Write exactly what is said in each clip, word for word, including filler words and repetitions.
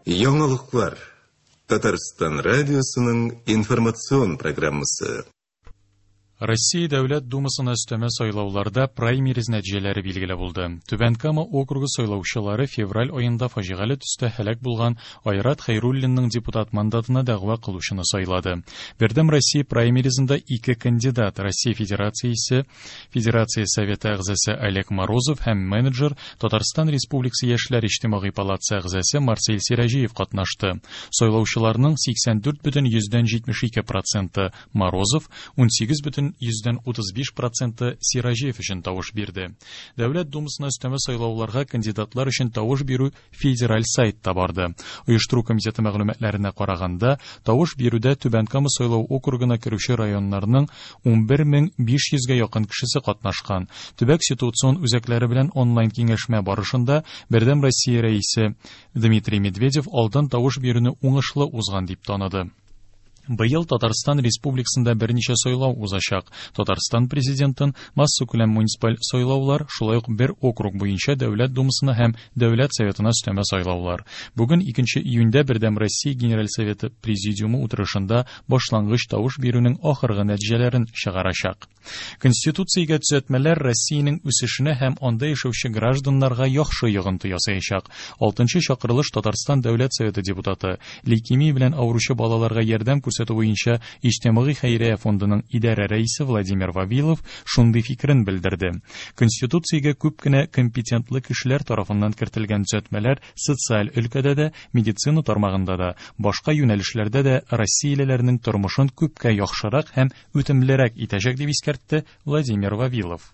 Яңалыклар. Татарстан радиосының информацион программасы. Россия Дәүләт Думасына өстәмә сайлауларда праймериз нәтиҗәләре билгеле булды. Түбән Кама округы сайлаучылары февраль аенда фаҗигале төстә һәлак булган Айрат Хәйруллинның депутат мандатына дәгъва кылучыны сайлады. Бердәм Россия праймеризында ике кандидат Россия Федерациясе Федерация Советы әгъзасы Олег Морозов һәм менеджер Татарстан Республикасы Яшьләр иҗтимагый палатасы әгъзасы Марсель Сираҗиев катнашты. Сайлаучыларның сиксән дүрт бөтен йөздән җитмеш ике проценты Морозов, унсигез бөтен йөздән утыз биш проценты Сираҗиев өчен тавыш бирде. Дәүләт Думасына өстәмә сайлауларга кандидатлар өчен тавыш бирү федераль сайтта барды. Оештыру комитеты мәгълүматларына караганда, тавыш бирүдә Түбән Кама сайлау округына керүче районнарның унбер мең биш йөзгә якын кешесе катнашкан. Төбәк ситуацион үзәкләре белән онлайн киңәшмә барышында Бердәм Россия рәисе Дмитрий Медведев алдан тавыш бирүне уңышлы узган дип таныды. Быел Татарстан Республикасында берничә сайлау узачак. Татарстан президентын массакүләм муниципаль сайлаулар, шулай ук бер округ буенча Дәүләт Думасына һәм Дәүләт Советына өстәмә сайлаулар. Бүген икенче июньдә Бердәм Россия Генераль Советы Президиумы утырышында башлангыч тавыш бирүнең ахыргы нәтиҗәләрен чыгарачак. Конституциягә төзәтмәләр Россиянең үсешенә һәм анда яшәүче гражданнарга яхшы йогынты ясаячак. Алтынчы чакырылыш Татарстан Дәүләт Советы депутаты, лейкемия белән авыручы балаларга ярдәм күрсәтү буенча Иҗтимагый хәйрия фондының идарә рәисе Владимир Вавилов шундый фикерен белдерде. Конституциягә күп кенә компетентлы кешеләр тарафыннан кертелгән төзәтмәләр социаль өлкәдә дә, медицина тармагында да, башка юнәлешләрдә дә россиялеләрнең тормышын күпкә яхшырак һәм үтемлерәк итәчәк дип искәртте Владимир Вавилов.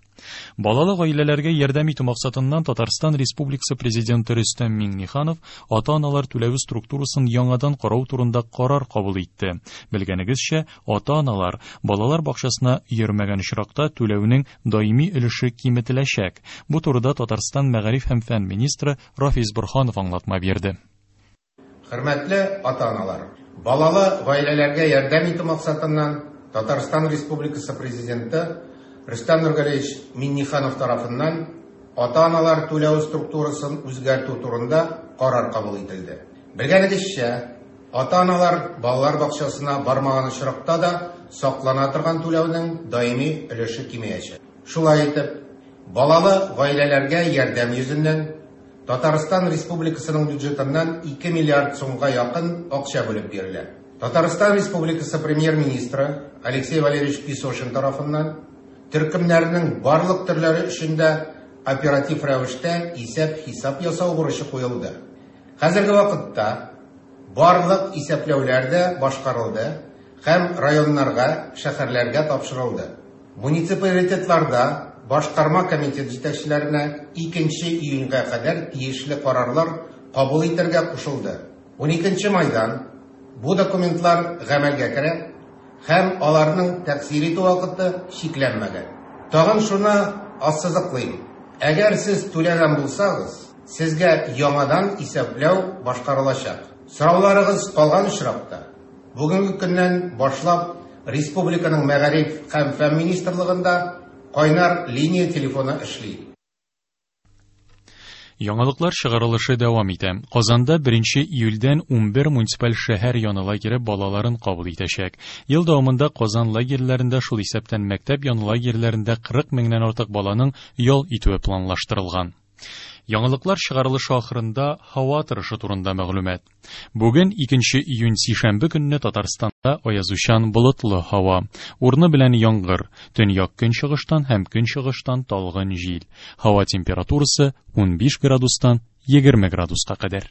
Балалы гаиләләргә ярдәм итү максатыннан Татарстан Республикасы Президенты Рөстәм Миңнеханов ата-аналар түләве структурасын яңадан карау турында карар кабул итте. Белгәнегезчә, ата-аналар балалар бакчасына йөрмәгән очракта түләүнең даими өлеше киметеләчәк. Бу турыда Татарстан мәгариф һәм фән министры Рафис Борһанов аңлатма бирде. Хөрмәтле ата-аналар, балалы гаиләләргә ярдәм итү максатыннан Татарстан Республикасы Президенты Рөстәм Нургалиевич Миңнеханов тарафыннан ата-аналар түләү структурасын үзгәртү турында карар кабул ителде. Белгәнегезчә, ата-аналар балалар бакчасына бармаган очракта да саклана торган түләүнең даими өлеше кимеячәк. Шулай итеп, балалы гаиләләргә ярдәм йөзеннән Татарстан Республикасының бюджетыннан ике миллиард сумга якын акча бүлеп бирелә. Татарстан Республикасы премьер-министры Алексей Валерьевич Песошин тарафыннан төркемнәрнең барлык төрләре өчен дә оператив рәвештә исәп-хисап ясау бурычы куелды. Хәзерге вакытта барлык исәпләүләр дә башкарылды һәм районнарга, шәһәрләргә тапшырылды. Муниципалитетларда башкарма комитет җитәкчеләренә икенче июньгә кадәр тиешле карарлар кабул итәргә кушылды. Уникенче майдан бу документлар гамәлгә керә һәм аларның тәэсир итү вакыты чикләнмәгән. Тагын шуны ассызыклыйм. Әгәр сез түләгән булсагыз, сезгә яңадан исәпләү башкарылачак. Сорауларыгыз калган очракта, бүгенге көннән башлап Республиканың мәгариф һәм фән министрлыгында кайнар линия телефоны эшли. Яңалыклар чыгарылышы дәвам итә. Казанда беренче июльдән унбер муниципаль шәһәр яны лагере балаларын кабул итәчәк. Ел дәвамында Казан лагерьләрендә, шул исәптән мәктәп яны лагерьләрендә кырык меңнән артык баланың ял итүе планлаштырылган. Яңалыклар чыгарылышы ахырында һава торышы турында мәгълүмат. Бүген икенче июнь сишәмбе көнне Татарстанда аязучан болытлы һава, урыны белән яңгыр, төньяк көнчыгыштан һәм көнчыгыштан талгын җил. Һава температурасы унбиш градустан егерме градуска кадәр.